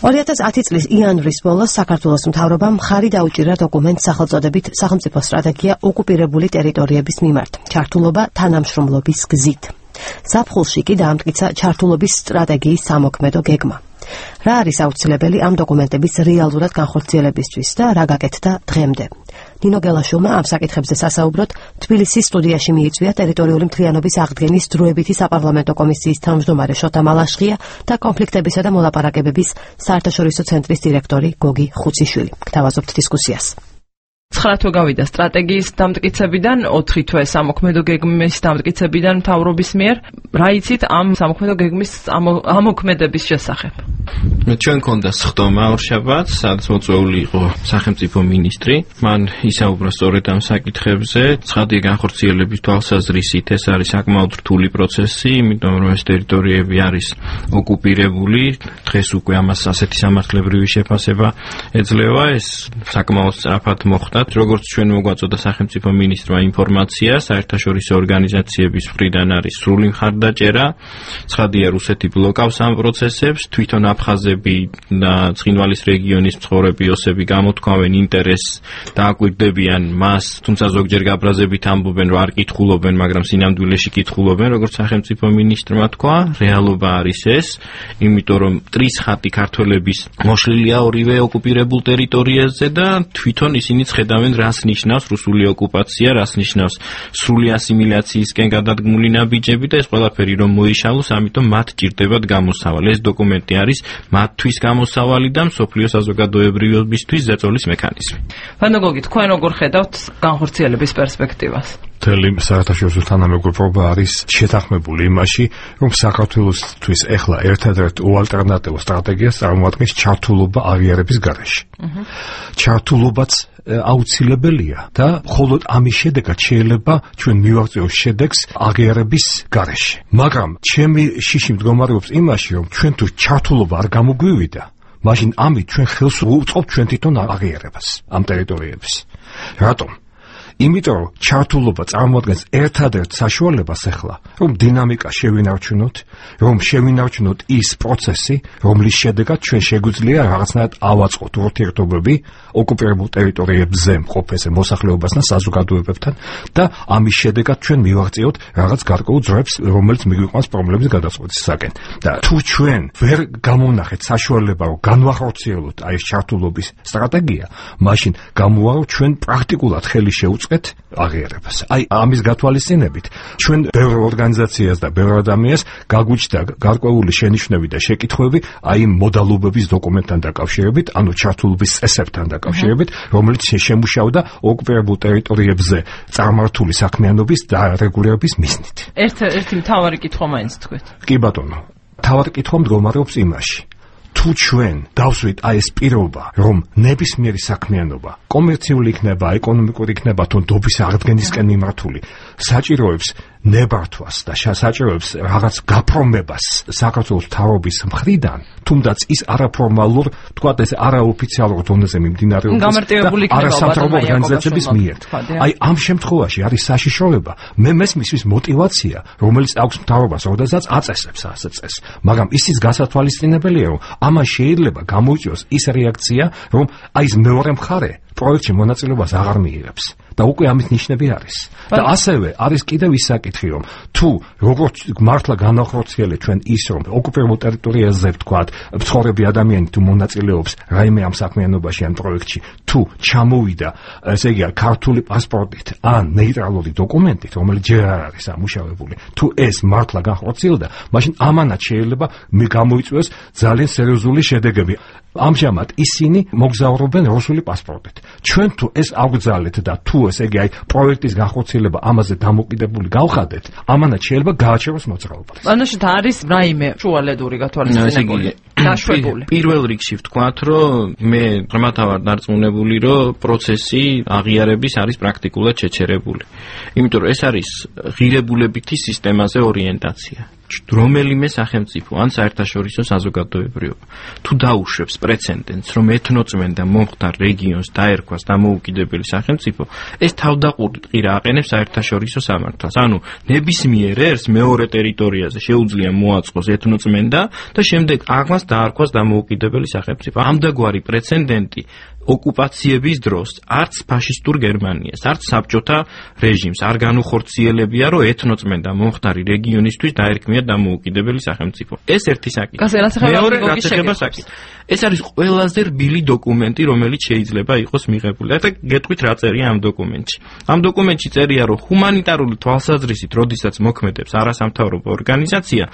2010 წლის იანვრის ბოლოს საქართველოს მთავრობამ მხარი დაუჭირა დოკუმენტს სახელწოდებით სახელმწიფო სტრატეგია ოკუპირებული ტერიტორიების მიმართ, ჩართულობა თანამშრომლობის გზით. ზაფხულში კი დაამტკიცა ჩართულობის სტრატეგიის სამოქმედო გეგმა. რა არის აუცილებელი ამ დოკუმენტების რეალურად განხორციელებისთვის და რა გაკეთდა დღემდე? ნინო გელაშვილმა ამ საკითხებზე სასაუბროდ თბილისის სტუდიაში მიიწვია ტერიტორიული მთლიანობის აღდგენის დროებითი საპარლამენტო კომისიის თავმჯდომარე შოთა მალაშხია და კონფლიქტებისა და მოლაპარაკებების საერთაშორისო ცენტრის დირექტორი გოგი ხუციშვილი. გთავაზობთ დისკუსიას. 9 თვე გავიდა სტრატეგიის დამტკიცებიდან, 4 თვე სამოქმედო გეგმის დამტკიცებიდან მთავრობის მიერ. რა იცით ამ სამოქმედო გეგმის ამოქმედების შესახებ? ჩვენ გქონდა სხდომა ორშაბათს, სადაც მოწვეული იყო სახელმწიფო მინისტრი. მან ისაუბრა სწორედ ამ საკითხებზე. ცხადია განხორციელების თვალსაზრისით ეს არის საკმაოდ რთული პროცესი, იმიტომ რომ ეს ტერიტორიები არის ოკუპირებული. დღეს უკვე ამას ასეთი სამართლებრივი შეფასება ეძლევა. ეს საკმაოდ სწრაფად მოხდა. როგორც ჩვენ მოგვაწოდა სახელმწიფო მინისტრმა ინფორმაცია, საერთაშორისო ორგანიზაციების მხრიდან არის სრული მხარდაჭერა. ცხადია, რუსეთი ბლოკავს ამ პროცესებს, თვითონ აფხაზები და ცხინვალის რეგიონის მცხოვრები ოსები გამოთქვამენ ინტერესს და აკვირდებიან მას, თუმცა ზოგჯერ გაბრაზებით ამბობენ, რომ არ კითხულობენ, მაგრამ სინამდვილეში კითხულობენ, როგორც სახელმწიფო მინისტრმა თქვა, რეალობა არის ეს, იმიტომ რომ მტრის ხატი ქართველების მოშლილია ორივე ოკუპირებულ ტერიტორიაზე და თვითონ ისინი ხედავენ, რას ნიშნავს რუსული ოკუპაცია, რას ნიშნავს სრული ასიმილაციისკენ გადადგმული ნაბიჯები და ეს ყველაფერი რომ მოიშალოს, ამიტომ მათ ჭირდებათ გამოსავალი. ეს დოკუმენტი არის მათთვის გამოსავალი და მსოფლიო საზოგადოებრივობისთვის ზეწოლის მექანიზმი. ვანოგოგი, თქვენ როგორ ხედავთ განხორციელების პერსპექტივას? მთელი საერთაშორისო თანამეგობრობა არის შეთანხმებული იმაში, რომ საქართველოსთვის ეხლა ერთადერთ უალტერნატივო სტრატეგიას წარმოადგენს ჩართულობა აღიარების გარეშე. ჩართულობაც აუცილებელია და მხოლოდ ამის შედეგად შეიძლება ჩვენ მივაღწიოს შედეგს აღიარების გარეშე. მაგრამ ჩემი შიში მდგომარეობს იმაში, რომ ჩვენ თუ ჩართულობა არ გამოგვივიდა, მაშინ ამით ჩვენ ხელს უწყობთ ჩვენ თვითონ აღიარებას ამ ტერიტორიების. რატომ? იმიტომ რომ ჩართულობა წარმოადგენს ერთადერთ საშუალებას ახლა, რომ დინამიკა შევინარჩუნოთ, რომ შევინარჩუნოთ ის პროცესი, რომლის შედეგად ჩვენ შეგვიძლია რაღაცნაირად ავაწყოთ ურთიერთობები ოკუპირებულ ტერიტორიებზე მყოფ მოსახლეობასთან, საზოგადოებებთან და ამის შედეგად ჩვენ მივაღწიოთ რაღაც გარკვეულ ძრებს, რომელიც მიგვიყვანს პრობლემის გადაწყვეტისაკენ. და თუ ჩვენ ვერ გამოვნახეთ საშუალება, რომ განვახორციელოთ აი ეს ჩართულობის სტრატეგია, მაშინ გამოვა რომ ჩვენ პრაქტიკულად ხელი შევუწყოთ აღიარებას. აი ამის გათვალისწინებით ჩვენ ბევრ ორგანიზაციას და ბევრ ადამიანს გაგვიჩნდა გარკვეული შენიშვნები და შეკითხვები აი მოდალობების დოკუმენტთან დაკავშირებით, ანუ ჩართულობის წესებთან დაკავშირებით, რომელიც შემუშავდა ოკუპირებულ ტერიტორიებზე წარმართული საქმიანობის დარეგულირების მიზნით. ერთი მთავარი კითხვა მაინც თქვით. კი ბატონო, მთავარი კითხვა მდგომარეობს იმაში, თუ ჩვენ დავსვით აი ეს პირობა, რომ ნებისმიერი საქმიანობა, კომერციული იქნება, ეკონომიკური იქნება, თუ დობის აღდგენისკენ მიმართული, საჭიროებს ნებართვას და საჭიროებს რაღაც გაფორმებას საქართველოს მთავრობის მხრიდან, თუმდაც ის არაფორმალურ, თქვათ ეს არაოფიციალურ დონეზე მიმდინარეობს და არასამთავრობო ორგანიზაციების მიერ. აი ამ შემთხვევაში არის საშიშროება. მე მესმის ის მოტივაცია, რომელიც აქვს მთავრობას, როდესაც აწესებს ასე წესს. მაგრამ ისიც გასათვალისწინებელია, რომ ამას შეიძლება გამოიწვიოს ის რეაქცია, რომ აი ეს მეორე მხარე პროექტში მონაწილეობას აღარ მიიღებს. და უკვე ამის ნიშნები არის. და ასევე არის კიდევ ის საკითხი, რომ თუ როგორც მართლა განახორციელეთ ჩვენ ის, რომ ოკუპირებულ ტერიტორიაზე ვთქვათ, მცხოვრები ადამიანი თუ მონაწილეობს რაიმე ამ საქმიანობაში ან პროექტში, თუ ჩამოვიდა, ესე იგი, ქართული პასპორტით ან ნეიტრალური დოკუმენტით, რომელიც ჯერ არ არის ამუშავებული, თუ ეს მართლა განხორციელდა, მაშინ ამანაც შეიძლება გამოიწვიოს ძალიან სერიოზული შედეგები. ამჟამად ისინი მოგზაურობენ რუსული პასპორტით. ჩვენ თუ ეს ავგზავნეთ და თუ ესე იგი აი პროექტის განხორციელება ამაზე დამოკიდებული გავხადეთ, ამანაც შეიძლება გააჩეროს მოძრაობა. ანუ არის რაიმე შუალედური გათვალისწინებული. დაშვებული. პირველ რიგში ვთქვათ, რომ მე ღრმათა ვარ დარწმუნებული, რომ პროცესი აღიარების არის პრაქტიკულად შეჩერებული. იმიტომ რომ ეს არის ღირებულებითი სისტემაზე ორიენტაცია. რომელიმე სახელმწიფო ან საერთაშორისო საზოგადოებრივობა თუ დაუშვებს პრეცედენტს, რომ ეთნოწმენდა მომხდარ რეგიონს დაერქვას დამოუკიდებელი სახელმწიფო, ეს თავდაყრით ყირა აყენებს საერთაშორისო სამართალს. ანუ ნებისმიერ ერს მეორე ტერიტორიაზე შეუძლია მოაწყოს ეთნოწმენდა და შემდეგ აღმას დაარქვას დამოუკიდებელი სახელმწიფო. ამდაგვარი პრეცედენტი ოკუპაციების დროს არც ფაშისტურ გერმანიას, არც საბჭოთა რეჟიმს არ განუხორციელებია, რომ ეთნოწმენდა მომხდარი რეგიონისთვის დაერქმია დამოუკიდებელი სახელმწიფო. ეს ერთი საკითხი. მეორე რაც ეხება საკითხს. ეს არის ყველაზე რბილი დოკუმენტი, რომელიც შეიძლება იყოს მიღებული. და გეტყვით რა წერია ამ დოკუმენტში. ამ დოკუმენტში წერია, რომ ჰუმანიტარული თვალსაზრისით, როდესაც მოქმედებს არასამთავრობო ორგანიზაცია,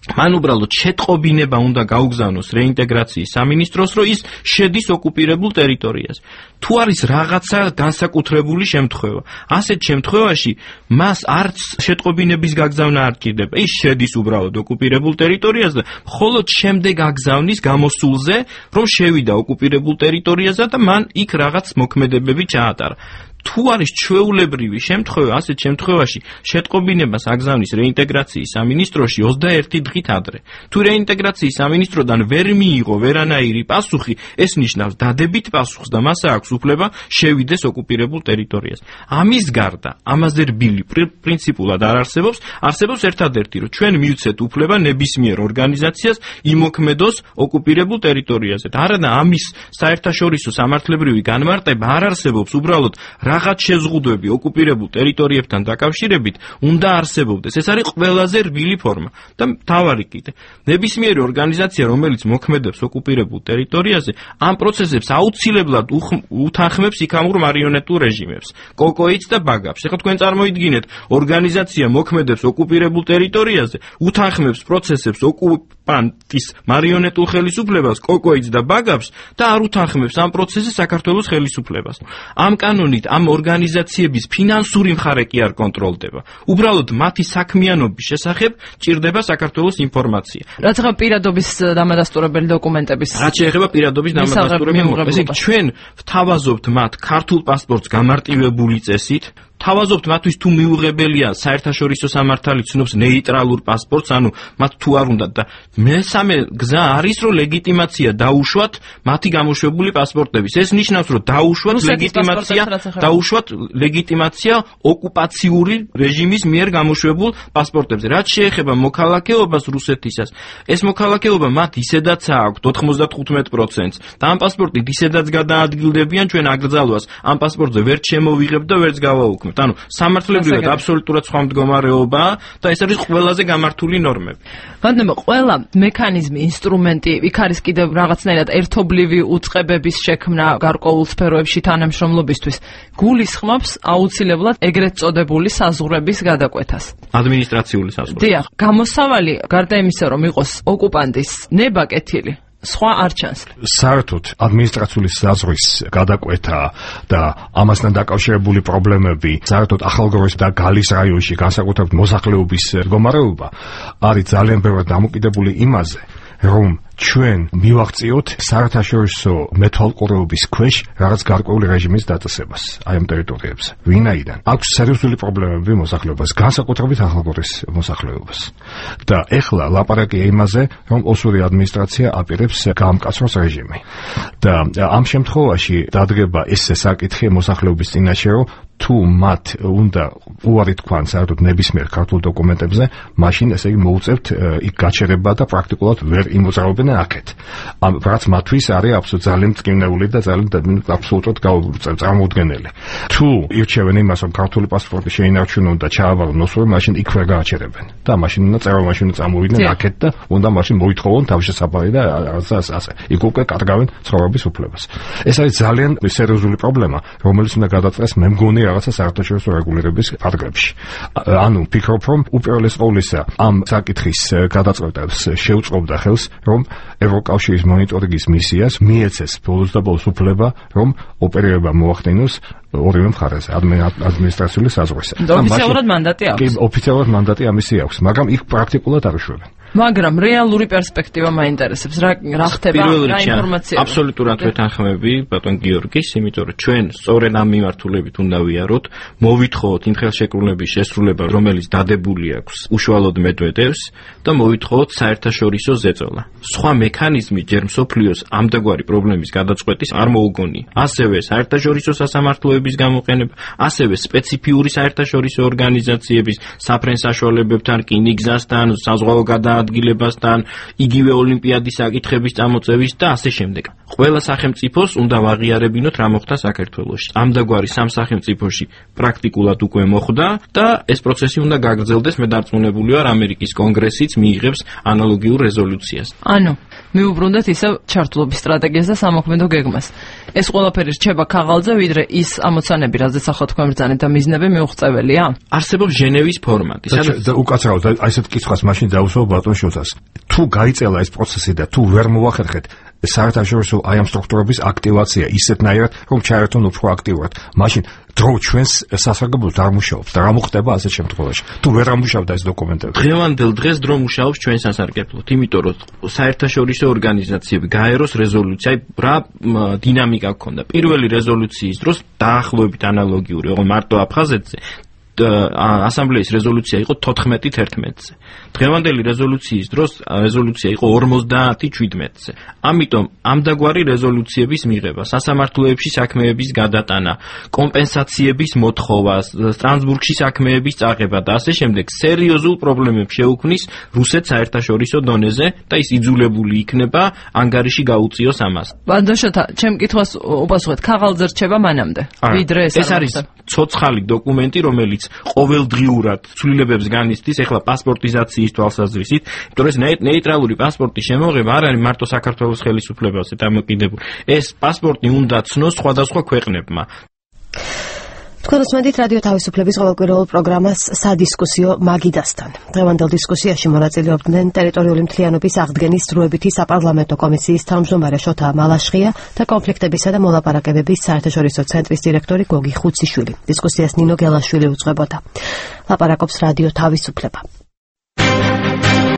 მან უბრალოდ შეტყობინება უნდა გაუგზავნოს რეინტეგრაციის სამინისტროს, რომ ის შედის ოკუპირებულ ტერიტორიაზე. თუ არის რაღაცა განსაკუთრებული შემთხვევა, ასეთ შემთხვევაში მას არც შეტყობინების გაგზავნა არ ჭირდება. ის შედის უბრალოდ ოკუპირებულ ტერიტორიაზე და მხოლოდ შემდეგ აგზავნის გამოსულზე, რომ შევიდა ოკუპირებულ ტერიტორიაზე და მან იქ რაღაც მოქმედებები ჩაატარა. თუ არის ჩვეულებრივი შემთხვევა, ასეთ შემთხვევაში შეტყობინებას აგზავნის რეინტეგრაციის სამინისტროში 21 დღით ადრე. თუ რეინტეგრაციის სამინისტროდან ვერ მიიღო ვერანაირი პასუხი, ეს ნიშნავს დადებით პასუხს და მას აქვს უფლება შევიდეს ოკუპირებულ ტერიტორიაზე. ამის გარდა, ამაზე რბილი პრინციპულად არ არსებობს, არსებობს ერთადერთი, რომ ჩვენ მივცეთ უფლება ნებისმიერ ორგანიზაციას იმოქმედოს ოკუპირებულ ტერიტორიაზე. არადა ამის საერთაშორისო სამართლებრივი განმარტება არ არსებობს, უბრალოდ რაღაც შეზღუდვები ოკუპირებულ ტერიტორიებთან დაკავშირებით უნდა არსებობდეს. ეს არის ყველაზე რბილი ფორმა. და თავარი კიდე, ნებისმიერი ორგანიზაცია, რომელიც მოქმედებს ოკუპირებულ ტერიტორიაზე, ამ პროცესებს აუცილებლად უთანხმებს იქამურ მარიონეტულ რეჟიმებს, კოკოიც და ბაგაფს. ეხლა თქვენ წარმოიდგინეთ, ორგანიზაცია მოქმედებს ოკუპირებულ ტერიტორიაზე, უთანხმებს პროცესებს ოკუპანტის მარიონეტულ ხელისუფლებას, კოკოიც და ბაგაფს და არ უთანხმებს ამ პროცესს საქართველოს ხელისუფლებას. ამ კანონით ამ ორგანიზაციების ფინანსური მხარე კი არ კონტროლდება. უბრალოდ მათი საქმიანობის შესახებ ჭირდება საქართველოს ინფორმაცია. რაც ახლა პირადობის დამადასტურებელი დოკუმენტების. რაც შეეხება პირადობის დამადასტურებელი დოკუმენტებს, ესე იგი ჩვენ ვთავაზობთ მათ ქართულ პასპორტს გამარტივებული წესით. თავაზობთ მათთვის თუ მიუღებელია საერთაშორისო სამართალი ცნობს ნეიტრალურ პასპორტს, ანუ მათ თუ არ უნდათ და მესამე გზა არის, რომ ლეგიტიმაცია დაუშვათ მათი გამოშვებული პასპორტების. ეს ნიშნავს, რომ დაუშვათ ლეგიტიმაცია ოკუპაციური რეჟიმის მიერ გამოშვებულ პასპორტებზე. რაც შეეხება მოქალაქეობას რუსეთისას, ეს მოქალაქეობა მათ ისედაც აქვთ 95%-ს და ამ პასპორტით ისედაც გადაადგილდებიან ჩვენ აკრძალვას. ამ პასპორტზე ვერ შემოვიღებთ და ვერც გავაუქმებთ. ანუ სამართლებრივად აბსოლუტურად სხვა მდგომარეობაა და ეს არის ყველაზე გამართული ნორმები. მაგრამ ყველა მექანიზმი, ინსტრუმენტი, იქ არის კიდევ რაღაცნაირად ერთობლივი უწყებების შექმნა გარკვეულ სფეროებში თანამშრომლობისთვის, გულისხმობს აუცილებლად ეგრეთ წოდებული საზღვრების გადაკვეთას. ადმინისტრაციული საზღვრები. დიახ, გამოსავალი გარდა იმისა, რომ იყოს ოკუპანტის ნება კეთილი, სხვა არ ჩანს. საერთოდ ადმინისტრაციული საზღვრის გადაკვეთა და ამასთან დაკავშირებული პრობლემები, საერთოდ ახალგოროს და გალის რაიონში განსაკუთრებით მოსახლეობის მდგომარეობა არის ძალიან ბევრად დამოკიდებული იმაზე, რომ ჩვენ მივაღწიოთ საერთაშორისო მეთვალყურეობის ქვეშ რაღაც გარკვეული რეჟიმის დაწესებას აი ამ ტერიტორიებზე. ვინაიდან აქვს სერიოზული პრობლემები მოსახლეობას, განსაკუთრებით ახალგორის მოსახლეობას. და ეხლა ლაპარაკია იმაზე, რომ ოსური ადმინისტრაცია აპირებს გაამკაცროს რეჟიმი. და ამ შემთხვევაში დადგება ეს საკითხი მოსახლეობის წინაშე, რომ თუ მათ უნდა უარი თქვან საერთოდ ნებისმიერ ქართულ დოკუმენტებზე, მაშინ ესე იგი მოუწევთ იქ გაჩერება და პრაქტიკულად ვერ იმოძრაობენ აქეთ. რაც მათთვის არის აბსოლუტურად ძალიან მტკივნეული და ძალიან აბსოლუტურად წარმოუდგენელი. თუ ირჩევენ იმას, რომ ქართული პასპორტი შეინარჩუნონ და ჩააბარონ ოსური, მაშინ იქ ვერ გააჩერებენ. და მაშინ უნდა წერილმაშინ წამოვიდნენ აქეთ და უნდა მაშინ მოითხოვონ თავშესაფარი და ასე. იქ უკვე კარგავენ ცხოვრების უფლებას. ეს არის ძალიან სერიოზული პრობლემა, რომელიც უნდა გადაწყდეს მე მგონი რაღაცა საერთაშორისო რეგულირების ფარგლებში. ანუ ვფიქრობ, რომ უპირველეს ყოვლისა ამ საკითხის გადაწყვეტას შეუწყობდა ხელს, რომ ევროკავშირის მონიტორინგის მისიას მიეცეს ბოლოს და ბოლოს უფლება, რომ ოპერირება მოახდინოს ორივე მხარეზე, ადმინისტრაციული საზღვრისა. ოფიციალურად მანდატი აქვს. კი, ოფიციალურად მანდატი ამისი აქვს, მაგრამ იქ პრაქტიკულად არ უშვებენ. მაგრამ რეალური პერსპექტივა მაინტერესებს. რა ხდება, რა ინფორმაცია? აბსოლუტურად ვეთანხმები ბატონ გიორგის, იმიტომ რომ ჩვენ სწორედ ამ მიმართულებით უნდა ვიაროთ, მოვითხოვოთ იმ ხელშეკრულების შესრულება, რომელიც დადებული აქვს უშუალოდ მედვედევს და მოვითხოვოთ საერთაშორისო ზეწოლა. სხვა მექანიზმი ჯერ მსოფლიოს ამდაგვარი პრობლემის გადაწყვეტის არ მოუგონია. ასევე საერთაშორისო სასამართლოების გამოყენება, ასევე სპეციფიური საერთაშორისო ორგანიზაციების საფრენ საშუალებებთან, რკინიგზასთან, საზღვაო გადაადგილებასთან, იგივე ოლიმპიადის საკითხების წამოწევის და ასე შემდეგ. ყველა სახელმწიფოს უნდა ვაღიარებინოთ რა მოხდა საქართველოში. ამდაგვარი სამ სახელმწიფოში პრაქტიკულად უკვე მოხდა და ეს პროცესი უნდა გაგრძელდეს. მე დარწმუნებული ვარ, ამერიკის კონგრესიც მიიღებს ანალოგიურ რეზოლუციას. ანუ მიუბრუნდეთ ისევ ჩართულობის სტრატეგიას და სამოქმედო გეგმას. ეს ყველაფერი რჩება ქაღალდზე, ვიდრე ის ამოცანები, რაზეც ახლა თქვენ ბრძანეთ და მიზნები მიუღწეველია. არსებობს ჟენევის ფორმატი. და უკაცრავად აი ესეთ კითხვას მაშინ დაუსვავ ბატონ შოთას. თუ გაიწელა ეს პროცესი და თუ ვერ მოახერხეთ საერთაშორისო აი ამ სტრუქტურების აქტივაცია ისეთნაირად, რომ ჩაერთონ უფრო აქტიურად, მაშინ დრო ჩვენს სასარგებლოდ არ მუშაობს და რა მოხდება ასეთ შემთხვევაში? თუ ვერ ამუშავდა ეს დოკუმენტები. დღევანდელ დღეს დრო მუშაობს ჩვენ სასარგებლოდ, იმიტომ რომ საერთაშორისო ორგანიზაციები გაეროს რეზოლუცია, რა დინამიკა გქონდა. პირველი რეზოლუციის დროს დაახლოებით ანალოგიური, ოღონდ მარტო აფხაზეთზე ასამბლეის რეზოლუცია იყო 14-11-ზე. დღევანდელი რეზოლუციის დროს რეზოლუცია იყო 50-17-ზე. ამიტომ ამდაგვარი რეზოლუციების მიღება, სასამართლოებში საქმეების გადატანა, კომპენსაციების მოთხოვა, სტრასბურგში საქმეების წაღება და ასე შემდეგ სერიოზულ პრობლემებს შეუქმნის რუსეთს საერთაშორისო დონეზე და ის იძულებული იქნება ანგარიში გაუწიოს ამას. ბანდაშოთა, ჩემ კითხვას უპასუხეთ, ქაღალდზე რჩება მანამდე. ვიდრე ეს არის ცოცხალი დოკუმენტი, რომელიც ყოველდღიურად ცვლილებებს განიცდის, ეხლა პასპორტიზაციის თვალსაზრისით, იმიტომ რომ ეს ნეიტრალური პასპორტის შემოღება არ არის მარტო საქართველოს ხელისუფლებაზე დამოკიდებული. ეს პასპორტი უნდა ცნოს სხვადასხვა ქვეყნებმა. თქვენ უსმენთ რადიო თავისუფლების ყოველკვირეულ პროგრამას სადისკუსიო მაგიდასთან. დღევანდელ დისკუსიაში მონაწილეობდნენ ტერიტორიული მთლიანობის აღდგენის დროებითი საპარლამენტო კომისიის თავმჯდომარე შოთა მალაშხია და კონფლიქტებისა და მოლაპარაკებების საერთაშორისო ცენტრის დირექტორი გოგი ხუციშვილი. დისკუსიას ნინო გელაშვილი უძღვებოდა. ლაპარაკობს რადიო თავისუფლება.